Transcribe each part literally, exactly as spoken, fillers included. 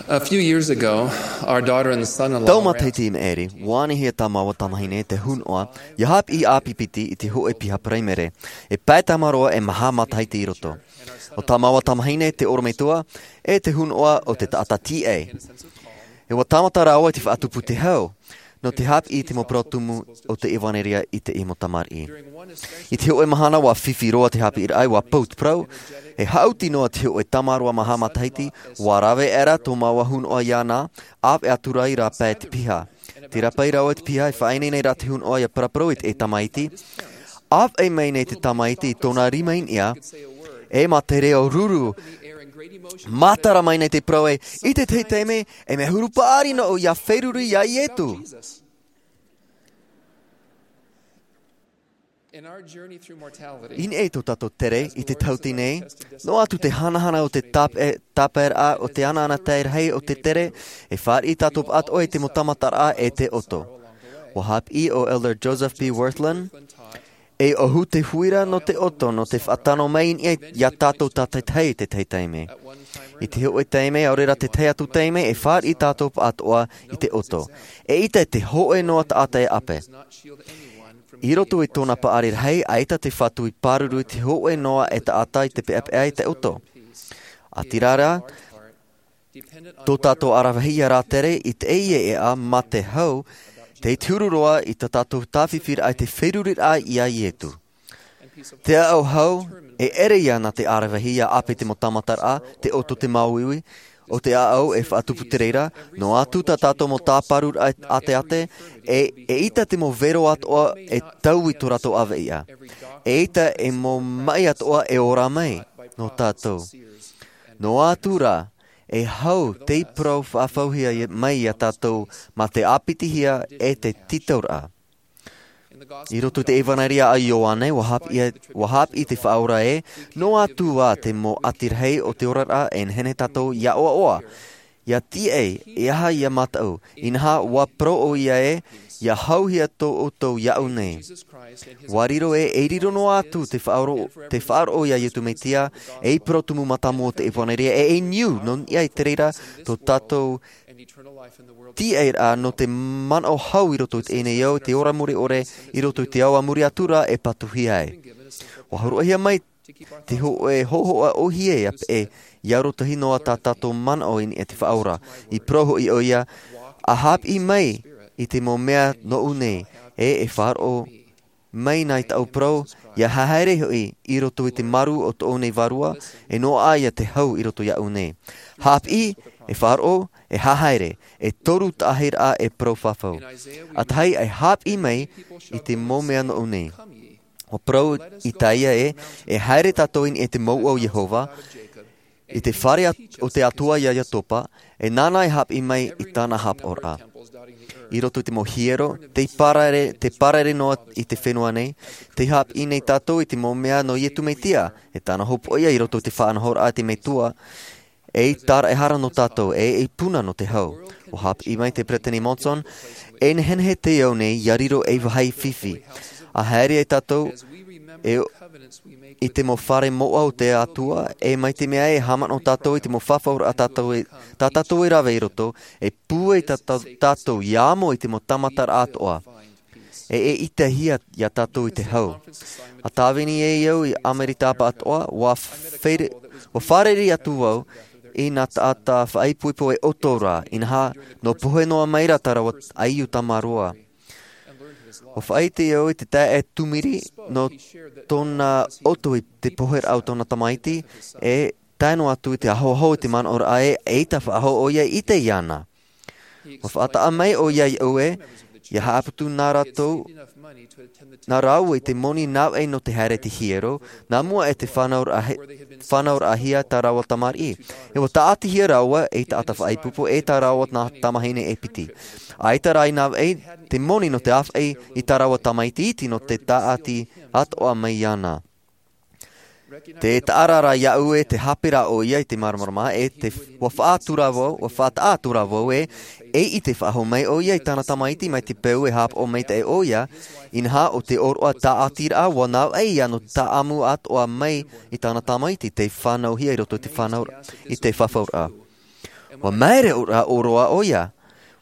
A few years ago, our daughter and son-in-law Tau were matahiti i maʻiri, ua anihia tā māua tamahine te hunoʻa, ia haʻapiʻi ʻāpipiti i te hōʻē piha paraimere. E pae tāmāroa e maha matahiti i roto. ʻO tā māua tamahine te ʻorometua, e te hunoʻa o te taʻata tīaʻi. E ua tāmata rāua i te faʻatupu te hau, nō te haʻapiʻi i te mau parau tumu o te ʻevanelia i te mau tamariʻi. I te hōʻē mahana ua fifi roa te haʻapiʻiraʻa, ua pou te parau, e haʻuti noa te hōʻē tāmāroa maha matahiti, ua rave aʻera tō māua hunoʻa iāna, ʻāvaʻe atu ra i rāpae te piha. Tē rāpae rāua te piha, e faʻaineine ra te hunoʻa ia paraparau i te tamaiti. ʻĀvaʻe mai nei te tamaiti i tōna rima i niʻa, e mā te reo ruru, mātara mai nei te parau ē, i te tahi taime, e mea huru paʻari noa ʻoe ia feruri iā Ietu. In our journey through mortality, I niʻa i tō tātou tere i te tauatini nei, noa atu te hanahana o te tāpe-, tāpaeraʻa o te anaana tae rahi o te tere, e fāriʻi tātou atoʻa i te mau tāmataraʻa e te ʻoto. Ua haʻapiʻi ʻo Elder Joseph B. Wirthlin, e ʻohu te huira nō te ʻoto, nō te faʻatano mai i niʻa iā tātou tātaitahi i te tahi taime. I te hōʻē taime, ʻaore rā te tahi atu taime, e fāriʻi tātou atoʻa i te ʻoto. Eʻita te hōʻē noa taʻata e ʻape. I roto i tōna paʻari rahi, ʻaita te Fatu i pāruru i te hōʻē noa e taʻata i te peʻapeʻa i te ʻoto. ʻĀtīrā rā, tō tātou ʻaravihi ia rātere i teie ʻēʻa mā te hau, tei te huru roa i tā tātou tāfifiraʻa i te feruriraʻa iā Ietu. Te ʻāʻau hau, e ʻere ia nā te ʻaravihi ia ʻape i te mau tāmataraʻa, te ʻoto, te māuiui, ʻo te ʻāʻau e faʻatupu te reira, noa atu tā tātou mau tāparuraʻa ʻāteʻate, e, eʻita te mau vero atoʻa e taui tō rātou ʻāvaʻe. Eʻita e mau maʻi atoʻa e ora mai nō tātou. Noa atu rā, e hau tei parau faʻahouhia mai iā tātou mā te ʻāpitihia e te tītauraʻa. I roto i te ʻevanelia a Ioane, ua haʻapiʻi, ua haʻapiʻi te Faʻaora ē, noa atu ā te mau ʻati rahi o te oraraʻa e nehenehe tātou ia ʻoaʻoa, ia tīaʻi, e aha ia mataʻu, inaha ua parau ʻoia ē, ia hauhia tō ʻoutou iaʻu nei. Ua riro ē, e riro noa atu te faʻaroʻo, te faʻaroʻo iā Ietu Metia, ei parau tumu mātāmua o te ʻevanelia, e, e niu, nō niʻa i te reira, tō tātou tīaʻiraʻa nō te manaʻo hau i roto i teie nei ao, te ora mure ʻore i roto i te ao a muri atu ra e patuhia ai. Ua hōroʻahia mai te hōʻē hōhoʻa ʻōhie ia peʻe, ia arotahi noa tā tātou manaʻo i niʻa i te Faʻaora. I parau hoʻi ʻoia, ʻa haʻapiʻi mai i te mau mea nōʻu nei, e, e faʻaroʻo mai nei tāʻu parau, ia haere hoʻi i roto i te marū o tōʻu nei Vārua, e noaʻa ia te hau i roto iāʻu nei. Haʻapiʻi, e faʻaroʻo, e haere, e toru taʻahiraʻa e parau fafau. ʻA tahi, e haʻapiʻi mai i te mau mea nōʻu nei. ʻUa parau Isaia ē, e haere tātou i niʻa i te mouʻa o Iehova, i te fare at-, o te Atua iā Iakoba, e nāna e haʻapiʻi mai i tāna haʻapaʻoraʻa. I roto i te mau hiero, tei pārae, tei pārae noa i te fenua nei, tei haʻapiʻi nei tātou i te mau mea nō Ietu Metia, e tāna hopoiʻa i roto i te faʻanahoraʻa a te Metua, ei tāraʻehara nō tātou, e ei puna nō te hau. ʻUa haʻapiʻi mai te Peresideni Monson, e nehenehe te ao nei, ia riro ei vāhi fifi. ʻA haere ai tātou, e i te mau fare mouʻa o te Atua, e mai te mea e haʻamanaʻo tātou i te mau fafauraʻa tātou e, tā tātou e rave i roto, e pūai tā, tā, tātou ia amo i te mau tāmataraʻa atoʻa. E, e ʻitehia ia tātou i te hau. ʻA tāvini ai au i Amerika Taʻatoʻa, ʻua fāre-, ʻua fārerei atu vau i nā taʻata faʻaipoipo e ʻoto ra, inaha, nō pohe noa mai ra tā rāua ʻaiū tāmāroa. ʻUa faʻaʻite au i te taeaʻe Tumiri nō tōna ʻoto i te poheraʻa o tōna tamaiti, e tae noa atu i te ahoaho i te manaʻoraʻa ē, eʻita faʻahou ʻoia i ʻite iāna. ʻUa faʻataʻa mai ʻoia iāʻu ē, ʻia haʻaputu nā rātou, nā rāua i te moni nā vaʻi nō te haere i te hiero, nā mua i te fānauraʻa-, fānauraʻahia tā rāua tamariʻi. E ʻua tāʻatihia rāua ei taʻata faʻaipoipo, e tā rāua nā tamahine e piti. ʻAita rā i nā vaʻi te moni nō te ʻāfaʻi i tā rāua tamaiti iti nō te tāʻati atoʻa mai iāna. Tē taʻa ra iāʻu ē te hape ra ʻoia i te māramarama, e te, ʻua faʻatura vau, ʻua faʻataʻa atu ra vau ē, e ʻite faʻahou mai ʻoia i tāna tamaiti mai te peu e haʻapaʻo maitaʻi ʻoia, inaha ʻo te ʻōroʻa tāʻatiraʻa ʻua nā vaʻi ia nō te tāʻamu atoʻa mai i tāna tamaiti tei fānauhia i roto i te fānau-, i te fafauraʻa. Ua maere ʻōroʻa ʻo ia.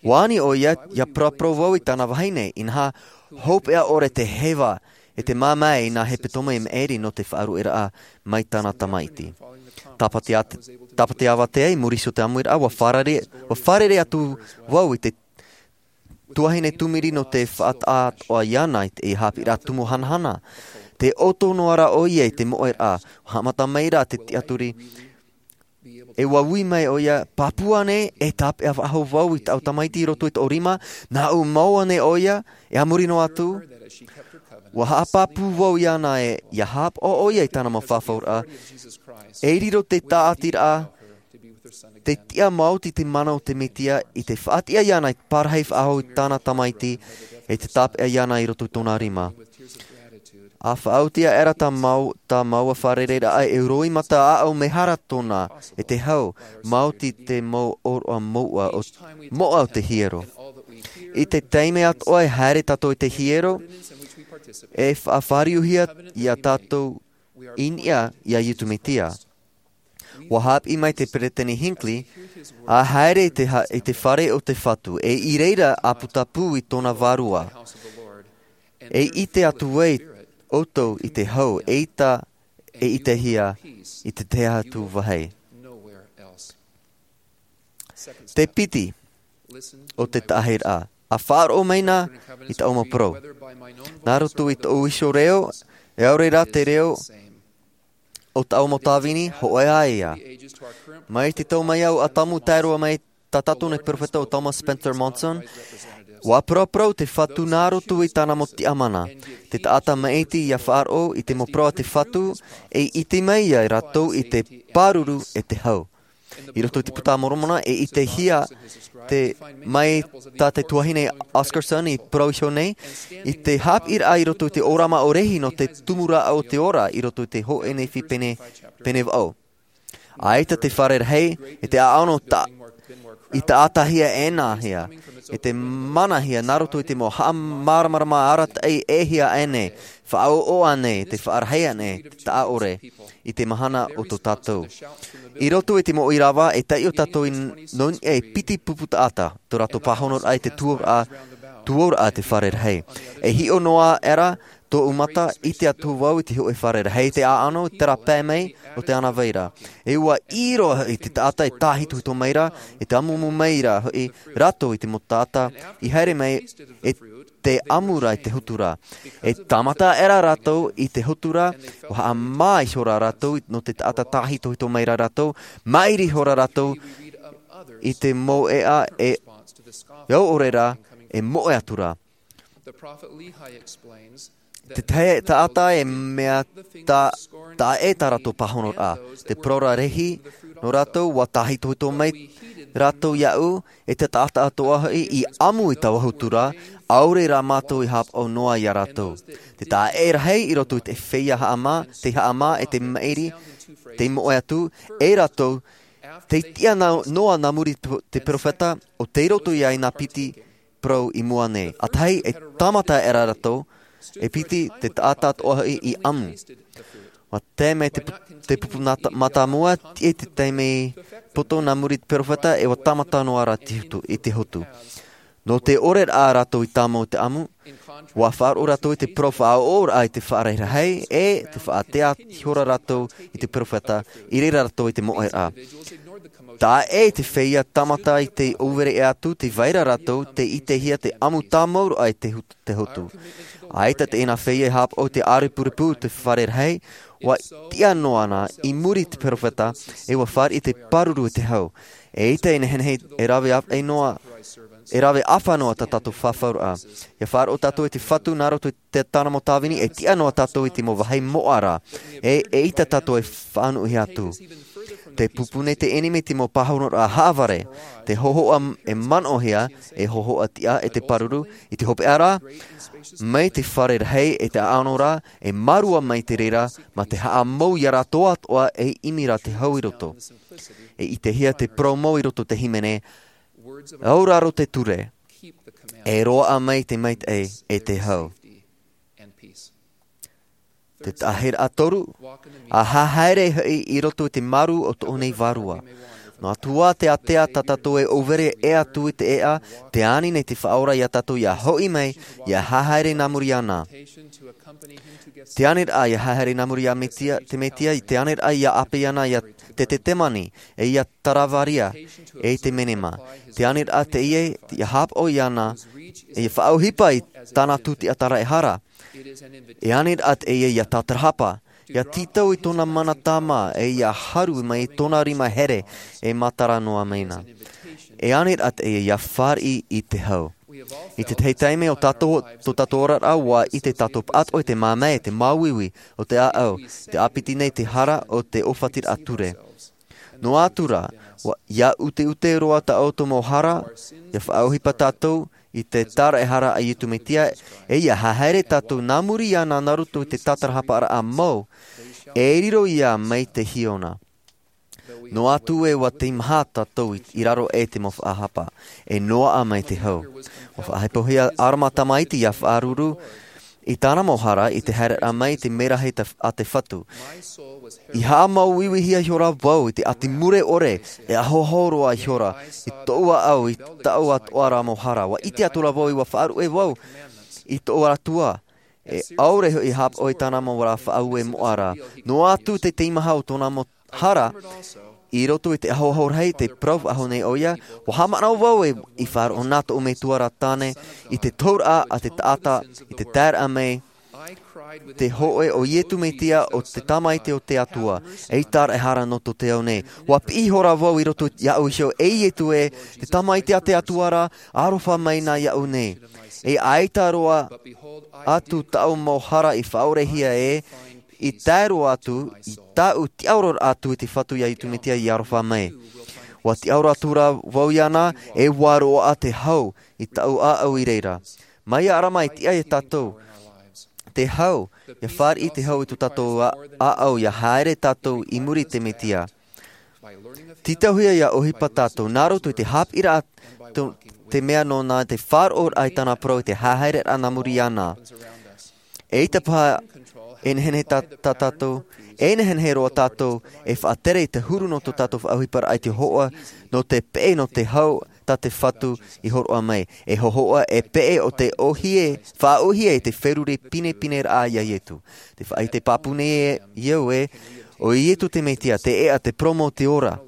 Ua ani ʻo ia ia paraparau vau i tāna vahine, inaha, hopeʻa ʻore te heva e te māmae i nā hepetoma i maʻiri nō te faʻaruʻeraʻa mai tāna tamaiti. Tāpati āvatea i muri iho i te ʻāmuiraʻa, ua fārerei atu vau i te tuahine tūmiri nō te faʻataʻa atoʻa iāna i te haʻapiʻiraʻa tumu hanahana. Te ʻoto noa rā ʻo ia i te moʻeraʻa. Ua haʻamata mai rā te tiʻaturi, e ua ui mai ʻo ia, pāpū ānei e tāpeʻa faʻahou vau i tāʻu tamaiti i roto i tōʻu rima? Nāʻu mau ānei ʻo ia? E a muri noa atu, ua haʻapāpū vau iāna e ia haʻapaʻo ʻo ia i tāna mau fafauraʻa. E riro te tāʻatiraʻa te tiʻa maoti te mana o te mesia i te faʻatiʻa iāna i te parahi faʻahou i tāna tamaiti e te tāpeʻa iāna i roto i tōna rima. A faʻaoti aʻera tā māua fārereiraʻa e roimata aʻau mehara tōna e te hau, maoti te mau ʻōroʻa moʻa o te hiero. I te taime atoʻa e haere tātou i te hiero, e faʻafāriuhia iā tātou i niʻa iā iesu mesia. Ua haʻapiʻi mai te peresideni hinckley, a haere i te fare o te fatu e i reira a putapū i tōna vārua. E ʻite atu ai ʻoutou i te hau e ʻita e ʻitehia i te tahi atu vāhi. Te piti o te taʻahiraʻa, a faʻaroʻo mai na i tāʻu mau parau. Nā roto i tōʻu iho reo, e ʻaore rā te reo o tāʻu mau tāvini hoʻi ā ia. Mai te tau mai au a tamu tae roa mai tā tātou nei peropheta o thomas spencer monson, ua paraparau te fatu nā roto i tāna mau tiʻamana. Te taʻata maʻiti ia faʻaroʻo i te mau parau a te fatu, e ʻite mai ia rātou i te pāruru e te hau. I roto i te puta a moromona e ʻitehia mai tā te tuahine oscarson i parau iho nei i te haʻapiʻiraʻa i roto i te ʻōrama o rehi nō te tumu rāʻau o te ora i roto i te hōʻē nehenehe pene vaʻu. ʻAita te fare rahi e te ʻaʻano i taʻatahia ʻēnāhia e te manahia nā roto i te mau haʻamāramarama arataʻi ʻēhia ʻānei, faʻaʻoʻo ʻānei te faʻarahi ʻānei te taʻaʻore i te mahana o tō tātou. I roto i te mau ʻīrava e taiʻo tātou i nō niʻa e piti pupu taʻata tō rātou pāhonoraʻa i te tuauraʻa tuauraʻa te fare rahi. E hiʻo noa aʻera tōʻu mata ʻite atu vau i te hōʻē fare rahi te ʻaʻano i te rāpae mai o te ana vaira. E ua ʻī roa hoʻi te taʻata e tāhitohito mai ra e te amuamu mai ra hoʻi rātou i te mau taʻata i haere mai e te ʻamu ra i te hotu ra. E tāmata aʻera rātou i te hotu ra ua haʻamā ihora rātou nō te taʻata tāhitohito mai ra rātou, maʻiri ihora rātou i te mau ʻeʻa e au ʻore ra e moʻe atu ra. Te taʻata e mea taʻe tā rātou pāhonoraʻa te parau rahi nō rātou ua tāhitohito mai rātou iaʻu e te taʻata atoʻa hoʻi i ʻamu i taua hotu ra. ʻAore rā mātou i haʻapaʻo noa iā rātou te taʻe rahi i roto i te feiā haʻamā te haʻamā e te maʻiri te moʻe atu e rātou te tiʻa noa nā muri te peropheta o tei roto iā i nā piti parau i mua nei. ʻAtahi e tāmata aʻera rātou e piti te taʻata atoʻa hoʻi i ʻamu. Ua tae mai te pupu mātāmua tiʻa i te taime poto nā muri te peropheta e ua tāmata noa ra i te hotu. Nō te ʻore rā rātou i tāmau i te ʻamu ua faʻaroʻo rātou i te parau faʻaʻoʻoraʻa i te faʻarahi rahi e te faʻatea ihora rātou i te peropheta i reira rātou i te moʻeraʻa. Taʻe te feiā tāmata i te ʻōvere ʻē atu te vaira rātou te ʻitehia te ʻamu tāmau roa i te hotu. ʻAita te ʻenā feiā e haʻapaʻo i te ʻārepurepu te fare rahi ua tiʻa noa na i muri i te peropheta e ua fāriʻi te pāruru e te hau. E ʻaita e nehenehe e rave ʻāfaʻi noa e rave ʻāfa noa tā tātou fafauraʻa. Ia faʻaroʻo tātou i te fatu nā roto i te tāna mau tāvini e tiʻa noa tātou i te mau vāhi moʻa ra e ʻaita tātou e faʻanuʻuhia atu. Te pupu nei te ʻenemi te mau pāhonoraʻa haʻavare te hohoʻa e manaʻohia e hohoʻa tiʻa e te pāruru i te hopeʻa ra mai te fare rahi e te ʻaʻano ra e mārua mai te reira mā te haʻamau iā rātou atoʻa e ʻimi ra te hau i roto. E ʻitehia te parau mau i roto te hīmene, auraro te ture e roaʻa mai te maitaʻi e te hau. Te taʻahiraʻa toru, a haere hoʻi i roto i te māru o tōʻu nei vārua. Noa atu ā te ātea tā tātou e ʻōvere ʻē atu i te ʻēʻa, te ani nei te Faʻaora iā tātou ʻia hoʻi mai, ʻia haere nā muri iāna. Te ani raʻa ʻia haere nā muri iā Metia, te Metia, te ani raʻa ʻia ʻāpeʻe iāna ʻia Ketesemane, e ʻia Kalaveria, e i te Menema. Te ani raʻa teie, ʻia haʻapaʻo iāna, e ʻia faʻaʻohipa i tāna tūtiʻa taraehara. E ani raʻa teie ʻia tātarahapa, ʻia tītau i tōna mana tāmā, e ʻia haru mai i tōna rima here, e matara noa mai na. E ani raʻa teie ʻia fāriʻi i te hau. I te tahi taime o tātou, tō tātou oraraʻa ʻua ʻite tātou pāʻatoʻa i te māmae, te māuiui, o te ʻāʻau, te ʻāpiti nei te hara o te ʻōfatiraʻa ture. Noa atu rā, ʻua, ʻia ʻuteʻute roa tā ʻoutou mau hara, ʻia faʻaʻohipa tātou i te taraehara a Iesu Mesia, e ʻia haere tātou nā muri iāna nā roto i te tātarahaparaʻa mau, e riro ia mai te hiona. Noa atu ē ʻua teimaha tātou i, i raro aʻe i te mau faʻahapa, e noaʻa mai te hau. ʻUa faʻahepohia ʻArama tamaiti ʻia faʻaruru i tāna mau hara i te haereraʻa mai i te mērahi ta-, a te Fatu. I haʻamāuiuihia ihora vau i te ʻati mure ʻore, e ahoaho roa ihora, i tōʻu ʻāʻau, i tāʻu atoʻa ra mau hara. ʻUa ʻite atoʻa vau, ʻua faʻaruʻe vau i tōʻu Atua, e ʻaore hoʻi haʻapaʻo i tāna mau ra faʻaue moʻa ra. Noa atu te teimaha o tōna mau hara, i roto i te ahoaho rahi, te parau faʻahou nei ʻoia, ʻua haʻamanaʻo vau e, i faʻaroʻo na tōʻu metua ra tāne, i te tohuraʻa a te taʻata, i te taeraʻa mai, te hōʻē o Iesu Mesia o te Tamaiti o te Atua, e taraehara nō tō te ao nei. ʻUa piʻi ihora vau i roto iāʻu iho, e Iesu ē, te Tamaiti a te Atua ra, aroha mai na iāʻu nei. E ʻaita roa atu tāʻu mau hara i faʻaorehia ē, i tae roa atu, i tāʻu tiʻaoro atu i te Fatu iā Iesu Mesia i aroha mai. ʻUa tiʻaoro atu ra vau iāna, e ʻua roaʻa te hau i tāʻu ʻāʻau i reira. Mai iā ʻArama e tiʻa iā tātou te hau, ʻia fāriʻi te hau i tō tātou ʻā-, ʻāʻau, ʻia haere tātou i muri i te Mesia. Tītauhia ʻia ʻohipa tātou, nā roto i te haʻapiʻiraʻa tō, te mea nōna, te faʻaroʻoraʻa i tāna parau, i te haereraʻa nā muri iāna. Eʻita paha e nehenehe tā, tā tātou, e nehenehe roa tātou e faʻatere i te huru nō tō tātou faʻaʻohiparaʻa i te hōhoʻa, nō te peʻe, nō te hau tā te Fatu i hōroʻa mai. E hōhoʻa, e peʻe o te ʻōhie, faʻaʻōhie i te feruri pinepineraʻa iā Iesu. Te faʻaʻite pāpū nei au ē, ʻo Iesu te Mesia, te ʻēʻa, te parau mau, te ora.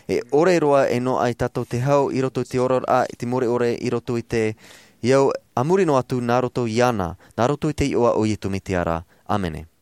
E ʻore roa e noaʻa iā tātou te hau i roto i te oraraʻa, i te mure ʻore i roto i te ao, a muri noa atu nā roto iāna, nā roto i te iʻoa o Iesu Mesia ra. ʻĀmene.